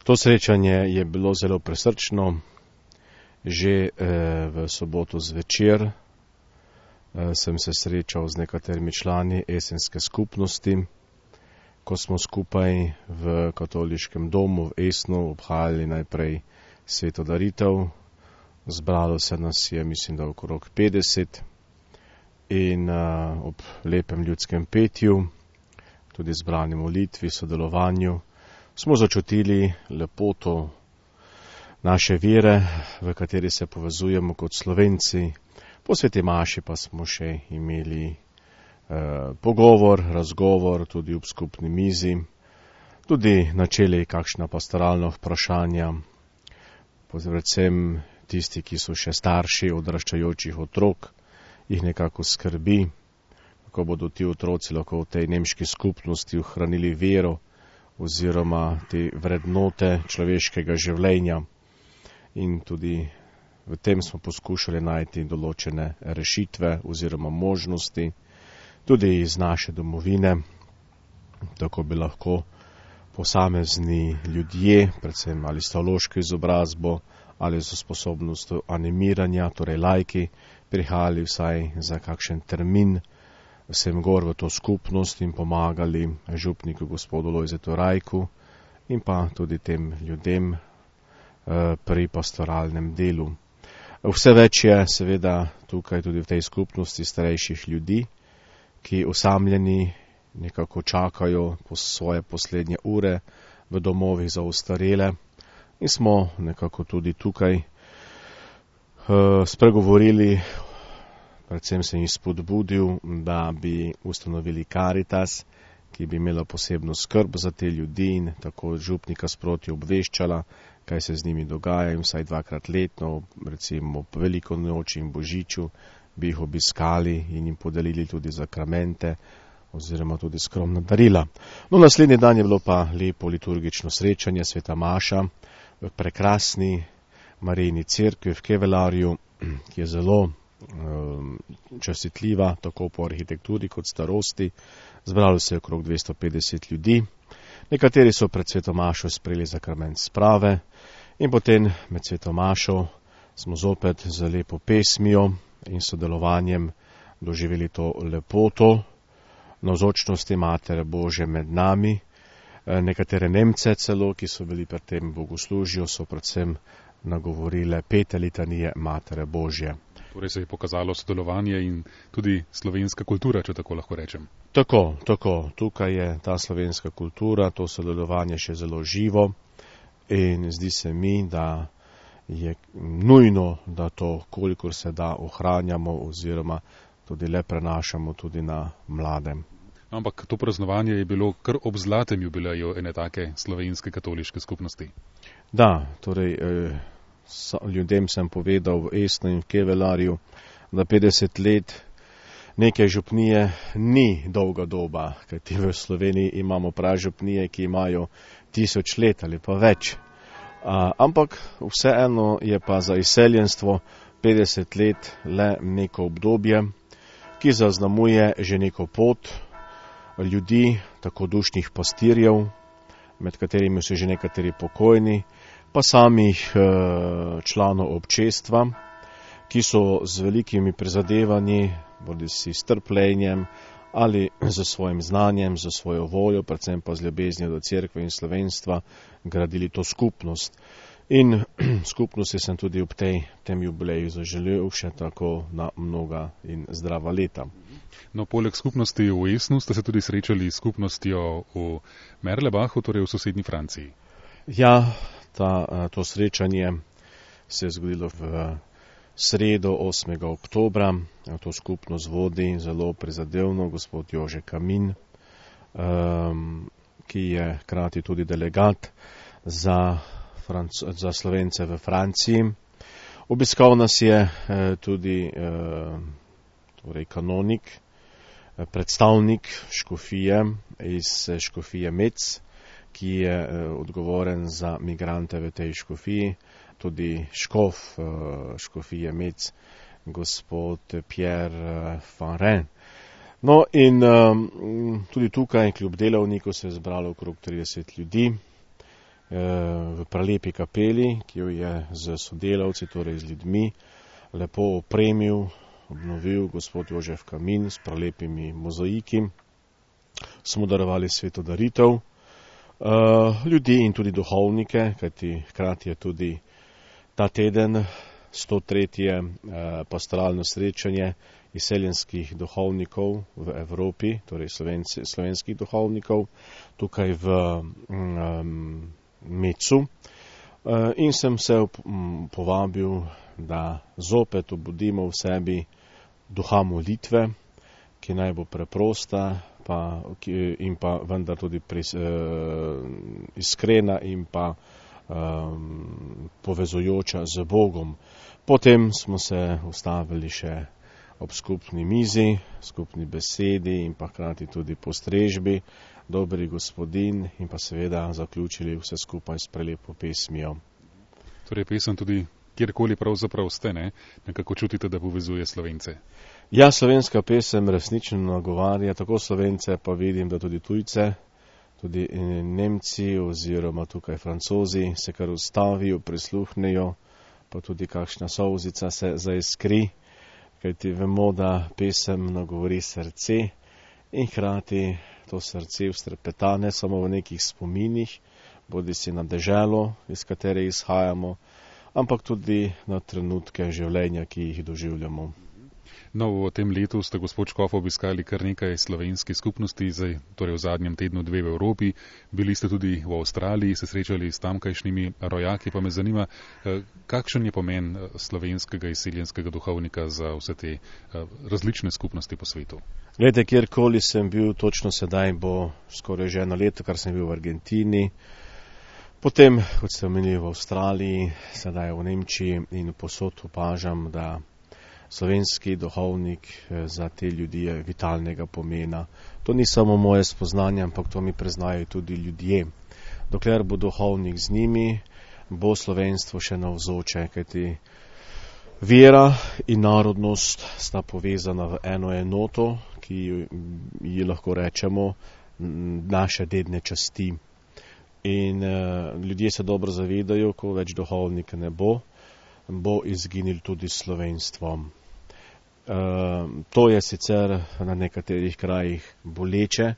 To srečanje je bilo zelo prisrčno. Že v soboto zvečer sem se srečal z nekaterimi člani esenske skupnosti, ko smo skupaj v katoliškem domu v Esnu obhajali najprej sveto daritev. Zbralo se nas je, mislim, da okrog 50 in ob lepem ljudskem petju, tudi zbrani molitvi, sodelovanju, smo začutili lepoto naše vere, v kateri se povezujemo kot Slovenci. Po sveti maši pa smo še imeli pogovor, razgovor, tudi ob skupni mizi, tudi načeli kakšna pastoralna vprašanja, predvsem tisti, ki so še starši odraščajočih otrok, jih nekako skrbi, kako bodo ti otroci lahko v tej nemški skupnosti ohranili vero oziroma te vrednote človeškega življenja. In tudi v tem smo poskušali najti določene rešitve oziroma možnosti, tudi iz naše domovine, tako bi lahko posamezni ljudje, predvsem ali s teološko izobrazbo ali z sposobnostjo animiranja, torej laiki, prihajali vsaj za kakšen termin sem gor v to skupnost in pomagali župniku gospodu Lojzetu Rajku in pa tudi tem ljudem pri pastoralnem delu. Vse več je seveda tukaj tudi v tej skupnosti starejših ljudi, ki osamljeni nekako čakajo po svoje poslednje ure v domovih za ostarele in smo nekako tudi tukaj spregovorili, predvsem sem jih spodbudil, da bi ustanovili Karitas, ki bi imela posebno skrb za te ljudi in tako župnika sproti obveščala, kaj se z njimi dogaja in vsaj 2-krat letno, recimo ob veliko noči in božiču, bi jih obiskali in jim podelili tudi sakramente oziroma tudi skromna darila. No, naslednji dan je bilo pa lepo liturgično srečanje, sveta maša v prekrasni Marijini cerkvi v Kevelarju, ki je zelo častitljiva, tako po arhitekturi kot starosti. Zbralo se je okrog 250 ljudi. Nekateri so pred sveto mašo sprejeli sakrament sprave in potem med sveto mašo smo zopet z lepo pesmijo in sodelovanjem doživeli to lepoto navzočnosti Matere Božje med nami. Nekatere Nemce celo, ki so bili pred tem bogoslužju, so predvsem nagovorile 5 litanije Matere Božje. Torej se je pokazalo sodelovanje in tudi slovenska kultura, če tako lahko rečem. Tako. Tukaj je ta slovenska kultura, to sodelovanje še zelo živo in zdi se mi, da je nujno, da to, kolikor se da, ohranjamo oziroma tudi le prenašamo tudi na mlade. Ampak to praznovanje je bilo kar ob zlatem jubileju ene take slovenske katoliške skupnosti. Da, torej ljudem sem povedal v Esnu in v Kevelarju, da 50 let neke župnije ni dolga doba, kajti v Sloveniji imamo pražupnije, ki imajo 1000 let ali pa več. Ampak vseeno je pa za izseljenstvo 50 let le neko obdobje, ki zaznamuje že neko pot ljudi, tako dušnih pastirjev, med katerimi so že nekateri pokojni, pa samih članov občestva, ki so z velikimi prizadevanji, bodisi s trpljenjem ali z svojim znanjem, z svojo voljo, predvsem pa z ljubeznijo do cerkve in slovenstva, gradili to skupnost. In skupnosti sem tudi ob tem jubileju zaželel še tako na mnoga in zdrava leta. No, poleg skupnosti v Esnu ste se tudi srečali s skupnostjo v Merlebachu, torej v sosednji Franciji. Ja, to srečanje se je zgodilo v sredo 8. oktobra. To skupnost vodi zelo prizadevno gospod Jože Kamin, ki je hkrati tudi delegat za Slovence v Franciji. Obiskal nas je tudi torej kanonik, predstavnik škofije iz škofije Metz, ki je odgovoren za migrante v tej škofiji, tudi škof škofije Metz, gospod Pierre Fanren. No in tudi tukaj, kljub delavniku, se je zbralo okrog 30 ljudi. v prelepi kapeli, ki jo je z sodelavci, torej z ljudmi, lepo opremil, obnovil gospod Jožef Kamin s prelepimi mozaiki. Smo darovali sveto daritev ljudi in tudi duhovnike, kajti hkrati je tudi ta teden 103. Pastoralno srečanje izseljenskih duhovnikov v Evropi, torej slovenskih duhovnikov, tukaj v Mecu. In sem se povabil, da zopet obudimo v sebi duha molitve, ki naj bo preprosta in pa vendar tudi iskrena in pa povezujoča z Bogom. Potem smo se ustavili še ob skupni mizi, skupni besedi in pa hkrati tudi postrežbi, dobri gospodin, in pa seveda zaključili vse skupaj s prelepo pesmijo. Torej pesem tudi kjerkoli pravzaprav ste, ne? Nekako čutite, da povezuje Slovence. Ja, slovenska pesem resnično nagovarja tako Slovence, pa vidim, da tudi tujce, tudi Nemci oziroma tukaj Francozi se kar ustavijo, prisluhnejo, pa tudi kakšna solzica se zaiskri, kajti vemo, da pesem nagovori srce in hkrati to srce vstrepeta ne samo v nekih spominih, bodisi na deželo, iz katere izhajamo, ampak tudi na trenutke življenja, ki jih doživljamo. No, v tem letu ste, gospod Škof, obiskali kar nekaj slovenskih skupnosti, torej v zadnjem tednu 2 v Evropi. Bili ste tudi v Avstraliji, se srečali s tamkajšnjimi rojaki, pa me zanima, kakšen je pomen slovenskega izseljenskega duhovnika za vse te različne skupnosti po svetu? Glede, kjerkoli sem bil, točno sedaj bo skoraj že 1 leto, kar sem bil v Argentini. Potem, kot ste omenili, v Avstraliji, sedaj v Nemčiji in posod opažam, da slovenski duhovnik za te ljudi je vitalnega pomena. To ni samo moje spoznanje, ampak to mi priznajo tudi ljudje. Dokler bo duhovnik z njimi, bo slovenstvo še navzoče, kajti vera in narodnost sta povezana v eno enoto, ki ji lahko rečemo naše dedne časti. In ljudje se dobro zavedajo, ko več duhovnika ne bo, bo izginil tudi slovenstvo. To je sicer na nekaterih krajih boleče,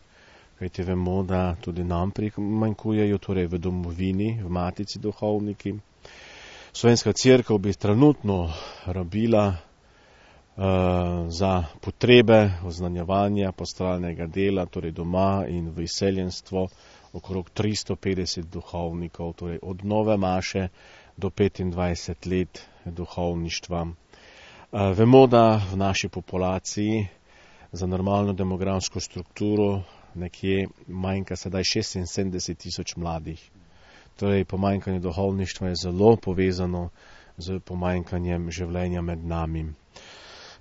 kajti vemo, da tudi nam primanjkujejo, torej v domovini, v matici duhovniki. Slovenska cerkev bi trenutno rabila za potrebe oznanjevanja pastoralnega dela, torej doma in v izseljenstvo, okrog 350 duhovnikov, torej od nove maše do 25 let duhovništva. Vemo, da v naši populaciji za normalno demografsko strukturo nekje manjka sedaj 76 000 mladih. Torej, pomanjkanje duhovništva je zelo povezano z pomanjkanjem življenja med nami.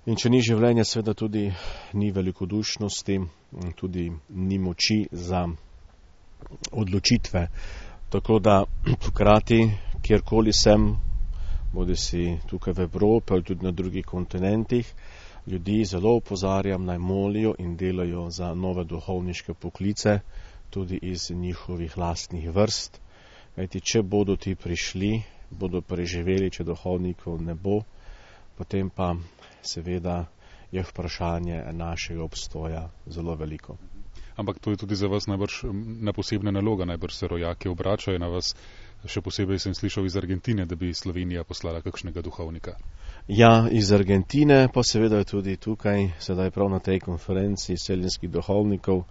In če ni življenja, seveda tudi ni velikodušnosti, tudi ni moči za odločitve. Tako da hkrati, kjerkoli sem, bodisi tukaj v Evropi ali tudi na drugih kontinentih, ljudi zelo opozarjam, naj molijo in delajo za nove duhovniške poklice, tudi iz njihovih lastnih vrst. Kajti, če bodo ti prišli, bodo preživeli, če duhovnikov ne bo, potem pa seveda je vprašanje našega obstoja zelo veliko. Ampak to je tudi za vas najbrž posebna naloga, najbrž se rojaki obračajo na vas. Še posebej sem slišal iz Argentine, da bi Slovenija poslala kakšnega duhovnika. Ja, iz Argentine, pa seveda tudi tukaj, sedaj prav na tej konferenci izseljenskih duhovnikov,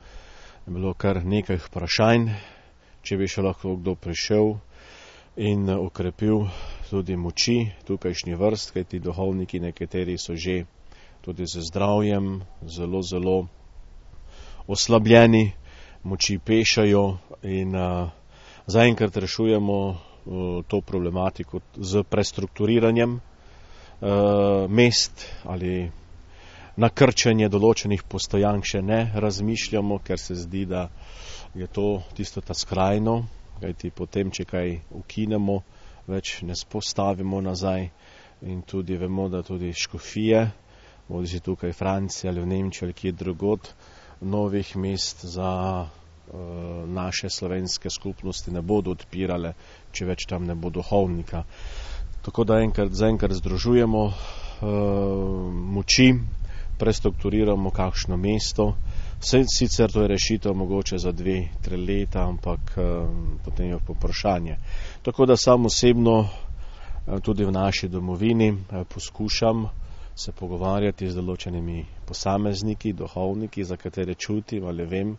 je bilo kar nekaj vprašanj, če bi še lahko kdo prišel in okrepil tudi moči tukajšnji vrst, kajti duhovniki nekateri so že tudi z zdravjem zelo oslabljeni, moči pešajo in zaenkrat rešujemo to problematiko z prestrukturiranjem mest ali nakrčenje določenih postojank še ne razmišljamo, ker se zdi, da je to tisto ta skrajno, kajti potem, če kaj ukinemo, več ne spostavimo nazaj in tudi vemo, da tudi škofije, bodisi tukaj v Franciji ali v Nemčiji ali kje drugod, novih mest za naše slovenske skupnosti ne bodo odpirale, če več tam ne bo duhovnika. Tako da zaenkrat združujemo moči, prestrukturiramo kakšno mesto. Sicer to je rešitev mogoče za 2-3 leta, ampak potem je vprašanje. Tako da sam osebno tudi v naši domovini poskušam se pogovarjati z določenimi posamezniki, duhovniki, za katere čutim ali vem,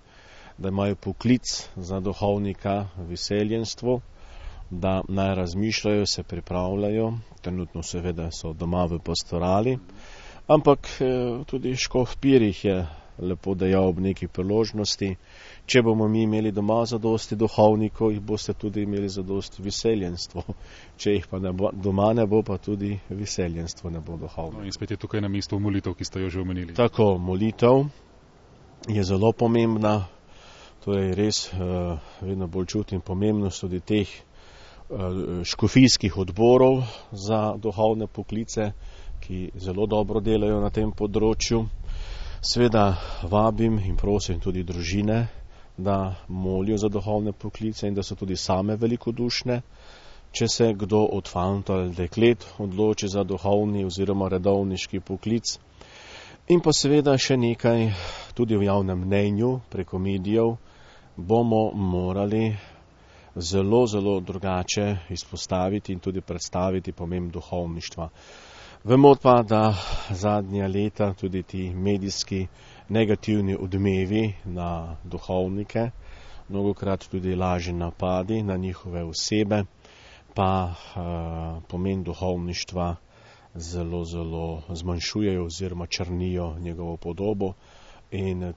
da imajo poklic za duhovnika v izseljenstvu, da naj razmišljajo, se pripravljajo, trenutno seveda so doma v pastorali, ampak tudi škof Pirih je lepo dejal ob neki priložnosti, če bomo mi imeli doma zadosti duhovnikov, jih boste tudi imeli zadosti v izseljenstvu. Če jih pa doma ne bo, pa tudi v izseljenstvu ne bo duhovnikov. No, in spet je tukaj na mestu molitev, ki ste jo že omenili. Tako, molitev je zelo pomembna, torej res vedno bolj čutim pomembnost tudi teh škofijskih odborov za duhovne poklice, ki zelo dobro delajo na tem področju. Sveda vabim in prosim tudi družine, da molijo za duhovne poklice in da so tudi same velikodušne. Če se kdo od fantov ali deklet odloči za duhovni oziroma redovniški poklic. In pa seveda še nekaj, tudi v javnem mnenju preko medijev bomo morali zelo, zelo drugače izpostaviti in tudi predstaviti pomen duhovništva. Vemo pa, da zadnja leta tudi ti medijski negativni odmevi na duhovnike, mnogokrat tudi lažni napadi na njihove osebe, pa pomen duhovništva zelo, zelo zmanjšujejo oziroma črnijo njegovo podobo. In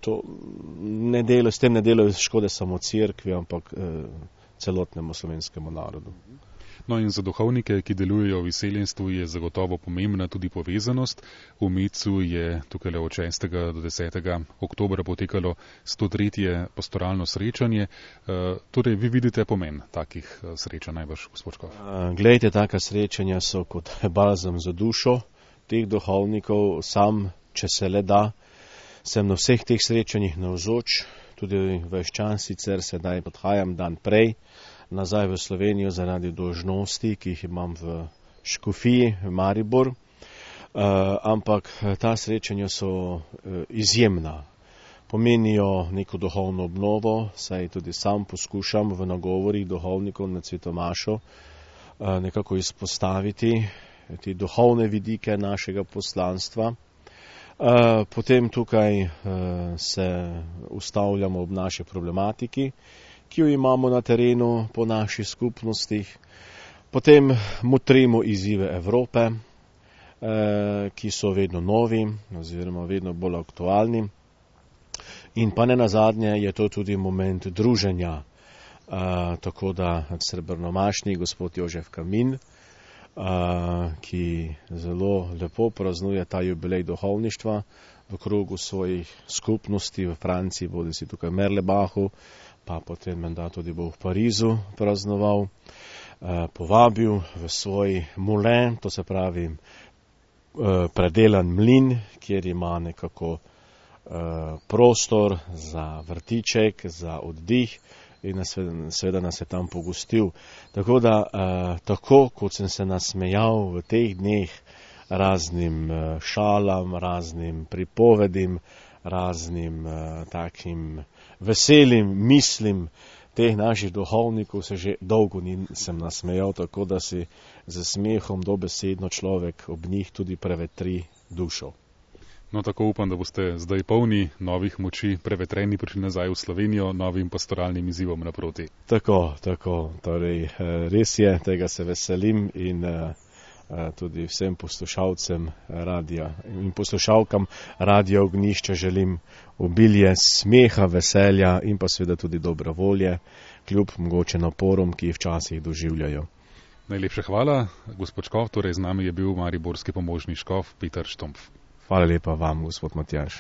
s tem ne delajo škode samo cerkvi, ampak celotnemu slovenskemu narodu. No in za duhovnike, ki delujejo v izseljenstvu, je zagotovo pomembna tudi povezanost. V Mecu je tukaj od 6. do 10. oktobra potekalo 103. pastoralno srečanje. Torej, vi vidite pomen takih srečanj, najbrž, gospod Škof? Glejte, taka srečanja so kot balzam za dušo teh duhovnikov. Sam, če se le da, sem na vseh teh srečanjih navzoč, tudi ves čas, sicer sedaj odhajam dan prej nazaj v Slovenijo zaradi dolžnosti, ki jih imam v škofiji v Maribor, ampak ta srečanja so izjemna. Pomenijo neko duhovno obnovo, saj tudi sam poskušam v nagovorih duhovnikov na Cvetomašo nekako izpostaviti te duhovne vidike našega poslanstva. Potem tukaj se ustavljamo ob naši problematiki, ki jo imamo na terenu po naših skupnostih. Potem motrimo izzive Evrope, ki so vedno novi oziroma vedno bolj aktualni. In pa ne nazadnje je to tudi moment druženja, tako da srebrnomašni gospod Jožef Kamin, ki zelo lepo praznuje ta jubilej duhovništva v krogu svojih skupnosti v Franciji, bodi si tukaj v Merlebachu, pa potem menda tudi bo v Parizu praznoval, povabil v svoj moulin, to se pravi predelan mlin, kjer ima nekako prostor za vrtiček, za oddih in seveda nas je tam pogostil. Tako da, tako kot sem se nasmejal v teh dneh raznim šalam, raznim pripovedim, raznim takim veselim mislim teh naših duhovnikov, se že dolgo nisem nasmejal, tako da si z smehom dobesedno človek ob njih tudi prevetri dušo. No, tako upam, da boste zdaj polni novih moči, prevetreni prišli nazaj v Slovenijo, novim pastoralnim izzivom naproti. Tako, torej res je, tega se veselim in tudi vsem poslušalcem radia in poslušalkam Radia Ognjišče želim obilje smeha, veselja in pa seveda tudi dobre volje, kljub mogoče naporom, ki jih včasih doživljajo. Najlepša hvala, gospod Škof, torej z nami je bil mariborski pomožni škof Peter Štumpf. Hvala lepa vam, gospod Matjaž.